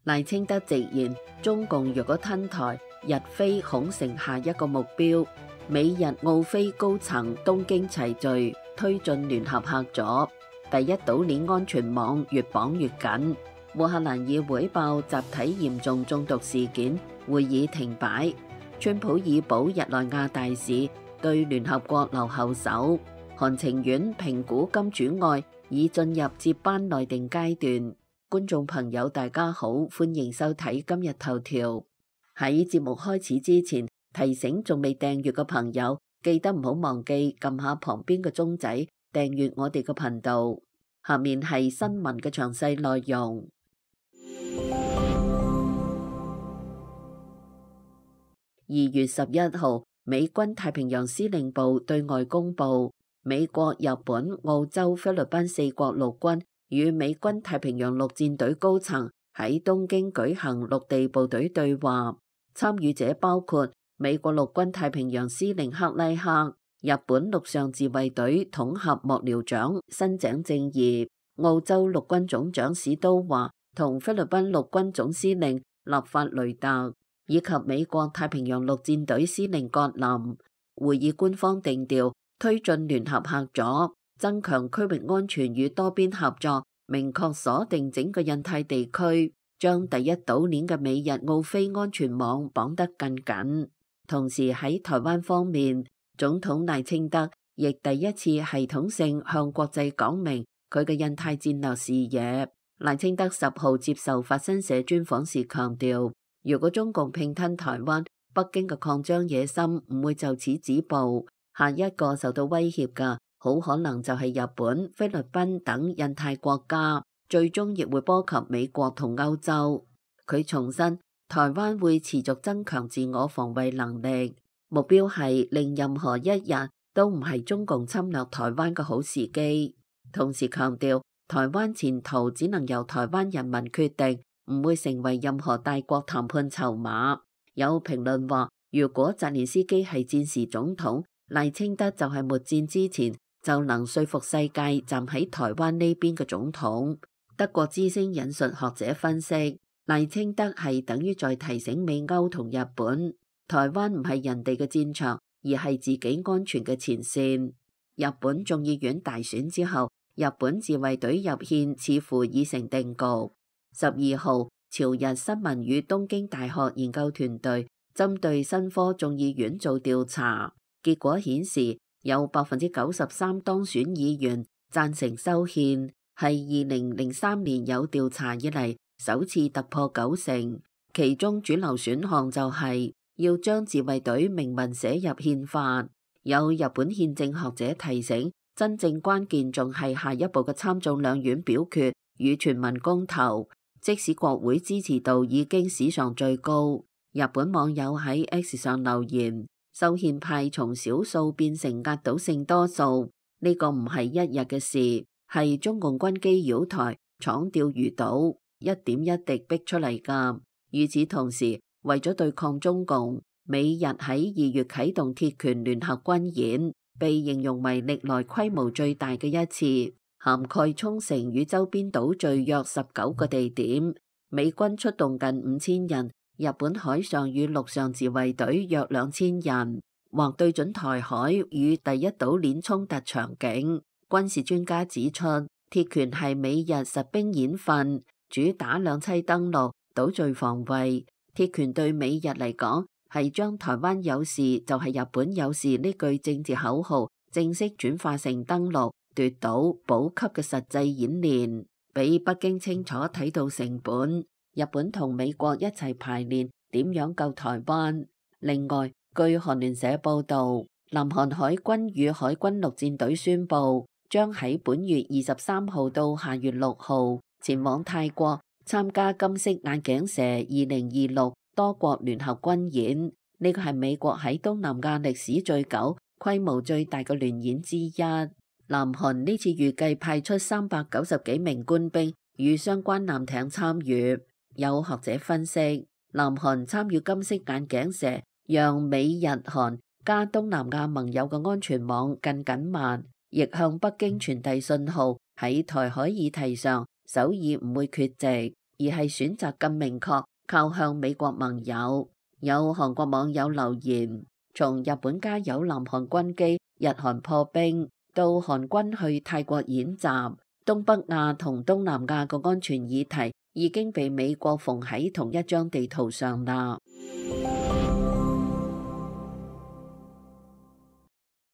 賴清德直言，中共若果吞台，日菲恐成下一個目標。美日澳菲高層東京齊聚，推進聯合合作。第一島鏈安全網越綁越緊。烏克蘭議會爆集體嚴重中毒事件，會議停擺。川普以保日內瓦大使，對聯合國留後手。韓情願評估金主愛已進入接班內定階段。觀眾朋友大家好，歡迎收睇今日頭條。喺節目開始之前，提醒仲未訂閱嘅朋友，記得唔好忘記撳下旁邊嘅鐘仔，訂閱我哋嘅頻道。下面係新聞嘅詳細內容。2月11號，美軍太平洋司令部對外公佈，美國、日本、澳洲、菲律賓4國陸軍與美軍太平洋陸戰隊高層喺東京舉行陸地部隊對話，參與者包括美國陸軍太平洋司令克拉克、日本陸上自衛隊統合幕僚長新井正義、澳洲陸軍總長史都華同菲律賓陸軍總司令立法雷特，以及美國太平洋陸戰隊司令葛林。會議官方定調，推進聯合合作，增強區域安全與多邊合作，明確鎖定整個印太地區，將第一島鏈嘅美日澳菲安全網綁得更緊。同時喺台灣方面，總統賴清德亦第一次系統性向國際講明佢嘅印太戰略視野。賴清德10號接受法新社專訪時強調，如果中共併吞台灣，北京嘅擴張野心唔會就此止步，下一個受到威脅嘅好可能就係日本、菲律賓等印太國家，最終亦會波及美國同歐洲。佢重申，台灣會持續增強自我防衛能力，目標係令任何一日都唔係中共侵略台灣嘅好時機。同時強調，台灣前途只能由台灣人民決定，唔會成為任何大國談判籌碼。有評論話，如果澤連斯基係戰時總統，賴清德就係末戰之前就能說服世界站喺台灣呢邊嘅總統。德國之聲引述學者分析，賴清德係等於在提醒美歐同日本，台灣唔係人哋嘅戰場，而係自己安全嘅前線。日本眾議院大選之後，日本自衛隊入憲似乎已成定局。12號，朝日新聞與東京大學研究團隊針對新科眾議院做調查，結果顯示有93%當選議員贊成修憲，係2003年有調查以嚟首次突破90%。其中主流選項就係要將自衛隊明文寫入憲法。有日本憲政學者提醒，真正關鍵仲係下一步嘅參眾兩院表決與全民公投。即使國會支持度已經史上最高，日本網友喺 X 上留言，修憲派從少數變成壓倒性多數，呢個唔係一日嘅事，係中共軍機擾台、闖釣魚島一點一滴逼出嚟㗎。與此同時，為咗對抗中共，美日喺2月啟動鐵拳聯合軍演，被形容為歷來規模最大嘅一次，涵蓋沖繩與周邊島嶼約19個地點，美軍出動近5000人，日本海上與陸上自衛隊約2000人，或對準台海與第一島鏈衝突場景。軍事專家指出，鐵拳係美日實兵演訓，主打兩棲登陸、島嶼防衛。鐵拳對美日嚟講，係將台灣有事就係日本有事呢句政治口號正式轉化成登陸、奪島、補給嘅實際演練，俾北京清楚睇到成本。日本同美國一齊排練點樣救台灣。另外，據韓聯社報道，南韓海軍與海軍陸戰隊宣布，將喺本月23號到下月6號前往泰國參加金色眼鏡蛇2026多國聯合軍演。呢個係美國喺東南亞歷史最久、規模最大嘅聯演之一。南韓呢次預計派出390幾名官兵與相關艦艇參與。有學者分析，南韓參與金色眼鏡蛇，讓美日韓加東南亞盟友嘅安全網更緊密，亦向北京傳遞信號，喺台海議題上，首爾唔會缺席。而係選擇更明確靠向美國盟友。有韓國網友留言，從日本加油南韓軍機、日韓破冰，到韓軍去泰國演習，東北亞同東南亞嘅安全議題已經被美國縫喺同一張地圖上啦。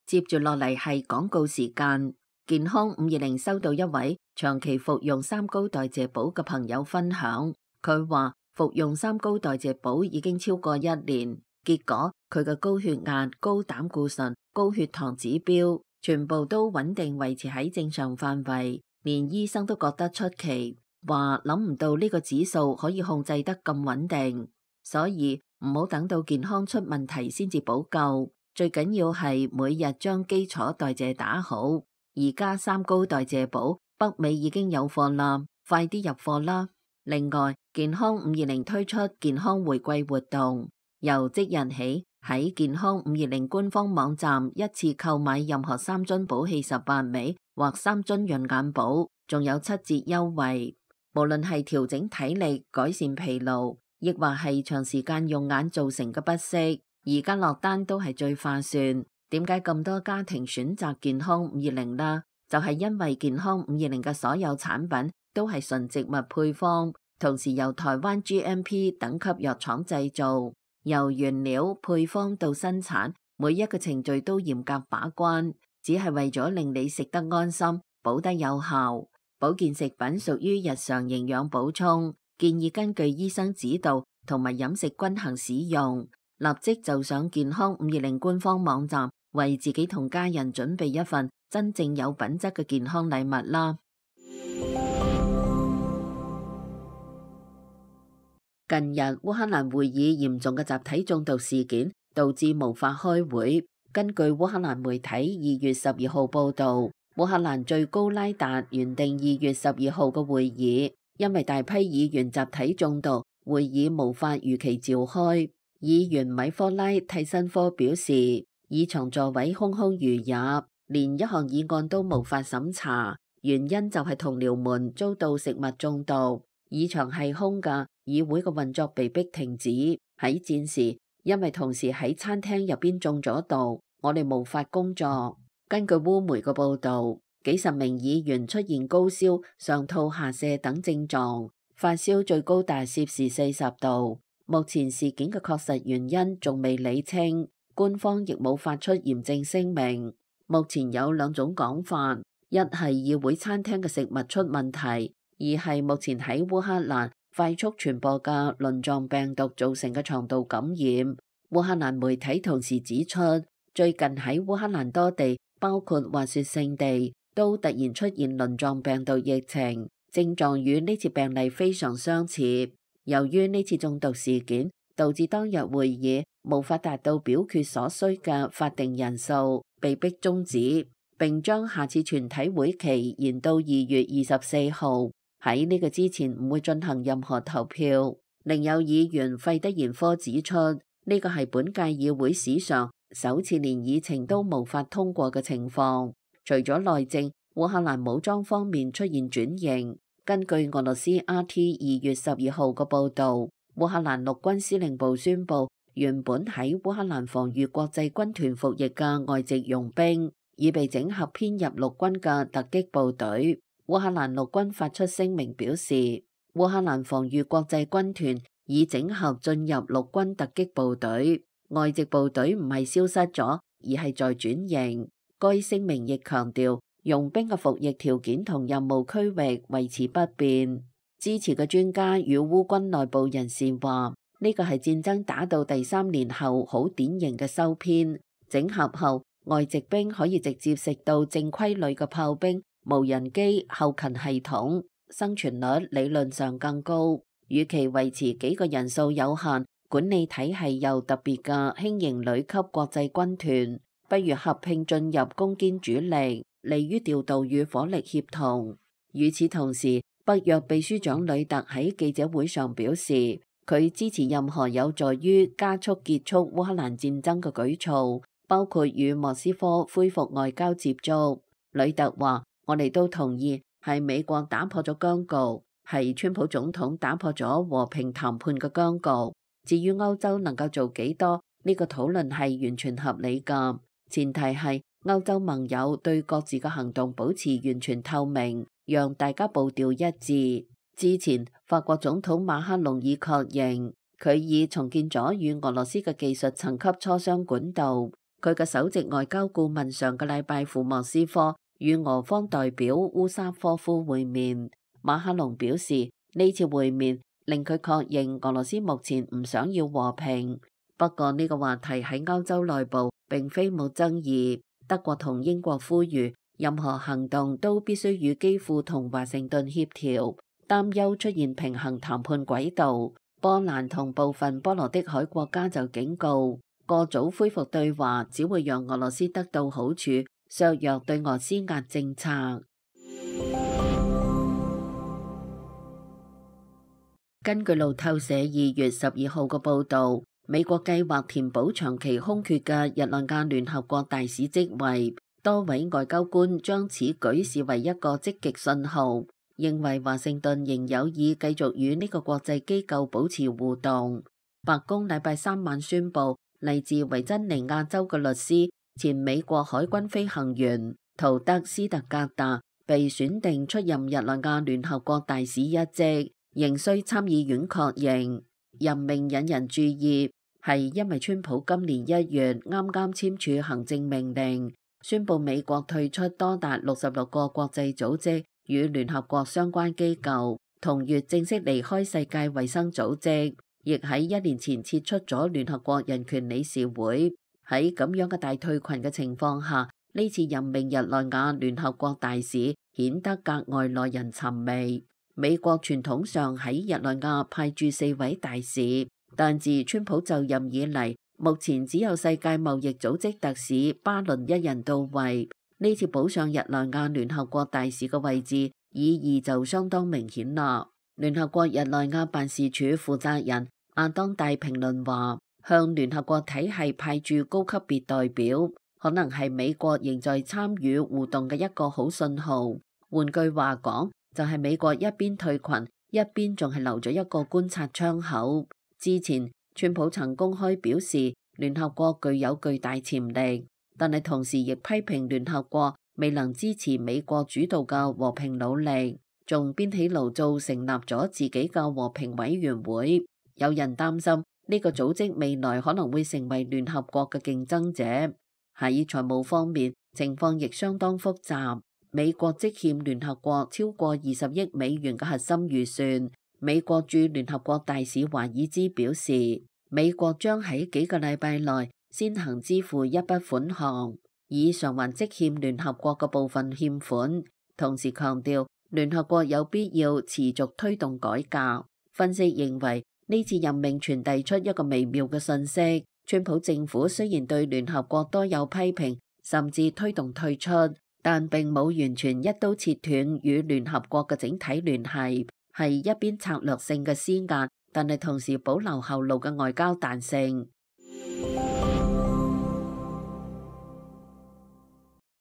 接住落嚟係廣告時間。健康520收到一位長期服用三高代謝寶嘅朋友分享，佢話服用三高代謝寶已經超過1年，結果佢嘅高血壓、高膽固醇、高血糖指標全部都穩定維持喺正常範圍，連醫生都覺得出奇，話諗唔到呢個指數可以控制得咁穩定，所以唔好等到健康出問題先至補救，最緊要係每日將基礎代謝打好。而家三高代謝寶北美已經有貨啦，快啲入貨啦！另外，健康520推出健康回饋活動，由即日起喺健康520官方網站一次購買任何3樽寶氣18味或3樽潤眼寶，仲有7折優惠。無論係調整體力、改善疲勞，亦或係長時間用眼造成嘅不適，而家落單都係最划算。點解咁多家庭選擇健康520啦？就係因為健康520嘅所有產品都係純植物配方，同時由台灣 GMP 等級藥廠製造，由原料配方到生產，每一個程序都嚴格把關，只係為咗令你食得安心，補得有效。保健食品屬於日常營養補充，建議根據醫生指導同埋飲食均衡使用。立即就上健康520官方網站，為自己同家人準備一份真正有品質嘅健康禮物啦！近日烏克蘭會議嚴重嘅集體中毒事件，導致無法開會。根據烏克蘭媒體2月12號報導，烏克蘭最高拉達原定2月12號嘅會議，因為大批議員集體中毒，會議無法如期召開。議員米科拉蒂申科表示，議場座位空空如也，連一項議案都無法審查，原因就係同僚們遭到食物中毒。議場係空㗎，議會嘅運作被迫停止。喺戰時，因為同事喺餐廳入邊中咗毒，我哋無法工作。根據烏媒嘅報導，幾十名議員出現高燒、上吐下瀉等症狀，發燒最高達攝氏40度。目前事件嘅確實原因仲未理清，官方亦冇發出嚴正聲明。目前有兩種講法，一係議會餐廳嘅食物出問題，二係目前喺烏克蘭快速傳播嘅輪狀病毒造成嘅腸道感染。烏克蘭媒體同時指出，最近喺烏克蘭多地，包括滑雪勝地，都突然出現輪狀病毒疫情，症狀與呢次病例非常相似。由於呢次中毒事件，導致當日會議無法達到表決所需嘅法定人數，被迫終止，並將下次全體會期延到2月24號。喺呢個之前唔會進行任何投票。另有議員費德延科指出，呢個係本屆議會史上首次連議程都無法通過嘅情況。除咗內政，烏克蘭武裝方面出現轉型。根據俄羅斯 RT 2月12號嘅報導，烏克蘭陸軍司令部宣布，原本喺烏克蘭防禦國際軍團服役嘅外籍傭兵已被整合編入陸軍嘅突擊部隊。烏克蘭陸軍發出聲明表示，烏克蘭防禦國際軍團已整合進入陸軍突擊部隊，外籍部隊唔係消失咗，而係在轉型。該聲明亦強調，傭兵嘅服役條件同任務區域維持不變。支持嘅專家與烏軍內部人士話，呢個係戰爭打到第3年後好典型嘅收編。整合後，外籍兵可以直接食到正規旅嘅炮兵、無人機、後勤系統，生存率理論上更高。與其維持幾個人數有限、管理體系又特別嘅輕型旅級國際軍團，不如合併進入攻堅主力，利於調度與火力協同。與此同時，北約秘書長呂特喺記者會上表示，佢支持任何有助於加速結束烏克蘭戰爭嘅舉措，包括與莫斯科恢復外交接觸。呂特話：我哋都同意係美國打破咗僵局，係川普總統打破咗和平談判嘅僵局。至於歐洲能夠做幾多，呢個討論係完全合理㗎，前提係歐洲盟友對各自嘅行動保持完全透明，讓大家步調一致。之前法國總統馬克龍已確認，佢已重建咗與俄羅斯嘅技術層級磋商管道。佢嘅首席外交顧問上個禮拜赴莫斯科與俄方代表烏沙科夫會面。馬克龍表示，呢次會面令佢確認俄羅斯目前唔想要和平。不過呢個話題喺歐洲內部並非冇爭議。德國同英國呼籲任何行動都必須與基輔同華盛頓協調，擔憂出現平衡談判軌道。波蘭同部分波羅的海國家就警告，過早恢復對話只會讓俄羅斯得到好處，削弱對俄施壓政策。根據路透社2月12號嘅報導，美國計劃填補長期空缺嘅日內瓦聯合國大使職位，多位外交官將此舉視為一個積極信號，認為華盛頓仍有意繼續與呢個國際機構保持互動。白宮禮拜三晚宣布，嚟自維珍尼亞州嘅律師、前美國海軍飛行員圖德斯特格達被選定出任日內瓦聯合國大使一職，仍需參議院確認。任命引人注意，係因為川普今年1月啱啱簽署行政命令，宣布美國退出多達66個國際組織與聯合國相關機構，同月正式離開世界衛生組織，亦喺1年前撤出咗聯合國人權理事會。喺咁樣嘅大退群嘅情況下，呢次任命日內瓦聯合國大使顯得格外耐人尋味。美國傳統上喺日內瓦派駐4位大使，但自川普就任以嚟，目前只有世界貿易組織特使巴倫一人到位。呢次補上日內瓦聯合國大使嘅位置，意義就相當明顯啦。聯合國日內瓦辦事處負責人亞當大評論話，向聯合國體系派駐高級別代表，可能係美國仍在參與互動嘅一個好信號。換句話講，就係美國一邊退群，一邊仲係留咗一個觀察窗口。之前川普曾公開表示聯合國具有巨大潛力，但係同時亦批評聯合國未能支持美國主導嘅和平努力，仲編起爐灶成立咗自己嘅和平委員會。有人擔心呢個組織未來可能會成為聯合國嘅競爭者。喺財務方面，情況亦相當複雜。美國積欠聯合國超過20億美元嘅核心預算。美國駐聯合國大使華爾茲表示，美國將喺幾個禮拜內先行支付一筆款項，以償還積欠聯合國嘅部分欠款。同時強調，聯合國有必要持續推動改革。分析認為，呢次任命傳遞出一個微妙嘅信息：川普政府雖然對聯合國多有批評，甚至推動退出，但並冇完全一刀切斷與聯合國嘅整體聯繫，係一邊策略性嘅施壓，但係同時保留後路嘅外交彈性。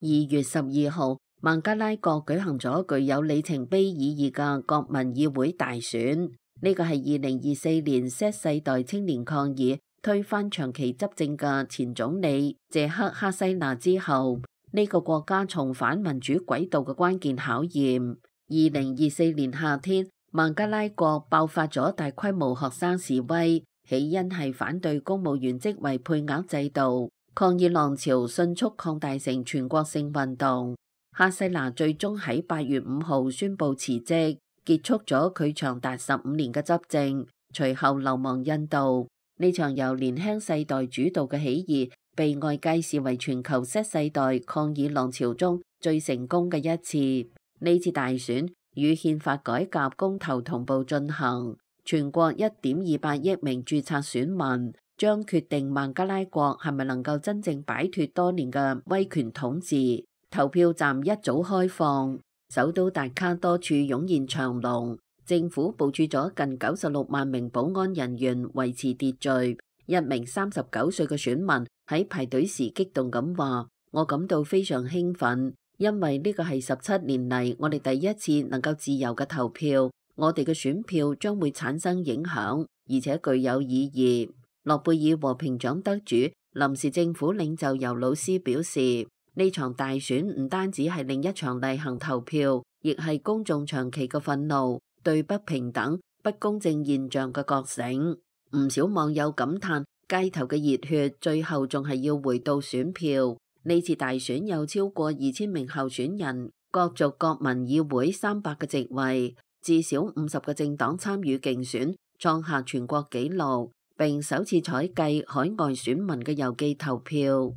2月12號，孟加拉國舉行咗具有里程碑意義嘅國民議會大選。呢個係2024年 Z 世代青年抗議推翻長期執政嘅前總理謝克哈西娜之後，呢個國家重返民主軌道嘅關鍵考驗。2024年夏天，孟加拉國爆發咗大規模學生示威，起因係反對公務員職位配額制度。抗議浪潮迅速擴大成全國性運動。哈西娜最終喺8月5號宣布辭職，結束咗佢長達15年嘅執政，隨後流亡印度。呢場由年輕世代主導嘅起義，被外界視為全球 Z 世代抗議浪潮中最成功嘅一次。呢次大選與憲法改革公投同步進行，全國1.28億名註冊選民將決定孟加拉國係咪能夠真正擺脫多年嘅威權統治。投票站一早開放，首都達卡多處湧現長龍，政府部署咗近96萬名保安人員維持秩序。一名39歲嘅選民喺排隊時激動咁話：我感到非常興奮，因為呢個係17年嚟我哋第一次能夠自由嘅投票。我哋嘅選票將會產生影響，而且具有意義。諾貝爾和平獎得主、臨時政府領袖尤魯斯表示，呢場大選唔單止係另一場例行投票，亦係公眾長期嘅憤怒，對不平等、不公正現象嘅覺醒。唔少網友感嘆，街頭嘅熱血最後仲係要回到選票。呢次大選有超過2000名候選人，角逐國民議會300個席位，至少50個政黨參與競選，創下全國紀錄，並首次採計海外選民嘅郵寄投票。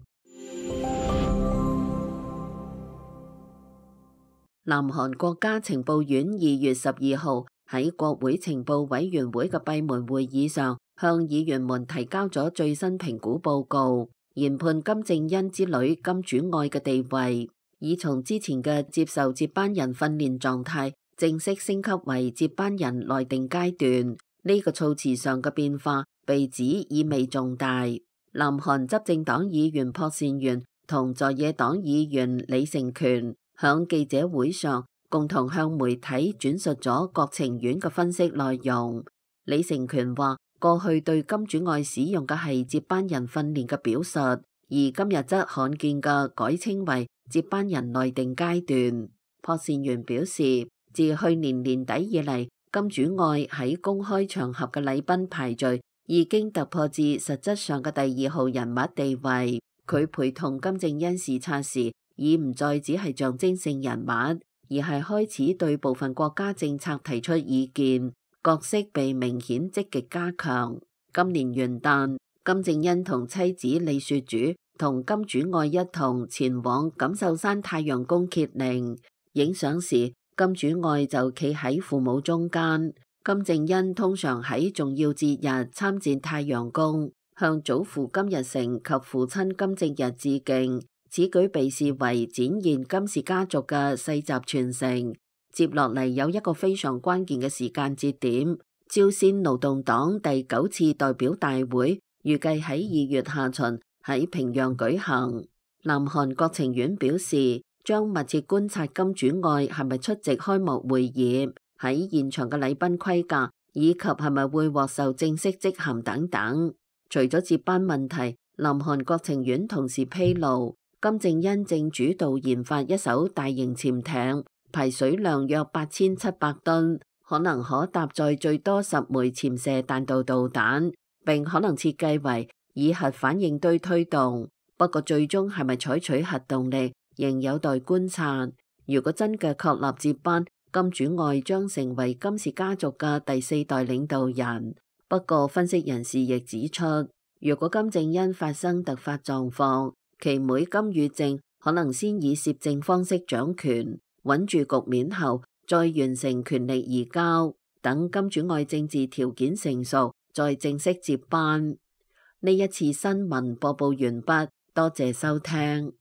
南韓國家情報院2月12號喺國會情報委員會嘅閉門會議上，向議員們提交咗最新評估報告，研判金正恩之女金主愛嘅地位，已從之前嘅接受接班人訓練狀態，正式升級為接班人內定階段。呢個措辭上嘅變化被指意味重大。南韓執政黨議員朴善元同在野黨議員李成權響記者會上共同向媒體轉述咗國情院嘅分析內容。李成權話，過去對金主愛使用嘅係接班人訓練嘅表述，而今日則罕見嘅改稱為接班人內定階段。朴善元表示，自去年年底以嚟，金主愛喺公開場合嘅禮賓排序已經突破至實質上嘅第2號人物地位。佢陪同金正恩視察時，已唔再只係象徵性人物，而係開始對部分國家政策提出意見，角色被明顯積極加強。今年元旦，金正恩同妻子李雪主同金主愛一同前往錦繡山太陽宮揭靈，影相時金主愛就企喺父母中間。金正恩通常喺重要節日參戰太陽宮，向祖父金日成及父親金正日致敬。此舉被視為展現金氏家族嘅世襲傳承。接落嚟有一個非常關鍵嘅時間節點，朝鮮勞動黨第9次代表大會預計喺2月下旬喺平壤舉行。南韓國情院表示，將密切觀察金主愛係咪出席開幕會議，喺現場嘅禮賓規格，以及係咪會獲授正式職銜等等。除咗接班問題，南韓國情院同時披露，金正恩正主導研發一艘大型潛艇，排水量約8700噸，可能可搭載最多10枚潛射彈道導彈，並可能設計為以核反應堆推動。不過最終係咪採取核動力，仍有待觀察。如果真嘅確立接班，金主愛將成為金氏家族嘅第4代領導人。不過分析人士亦指出，如果金正恩發生突發狀況，其妹金與正可能先以攝政方式掌權，穩住局面後，再完成權力移交，等金主愛政治條件成熟，再正式接班。呢一次新聞播報完畢，多謝收聽。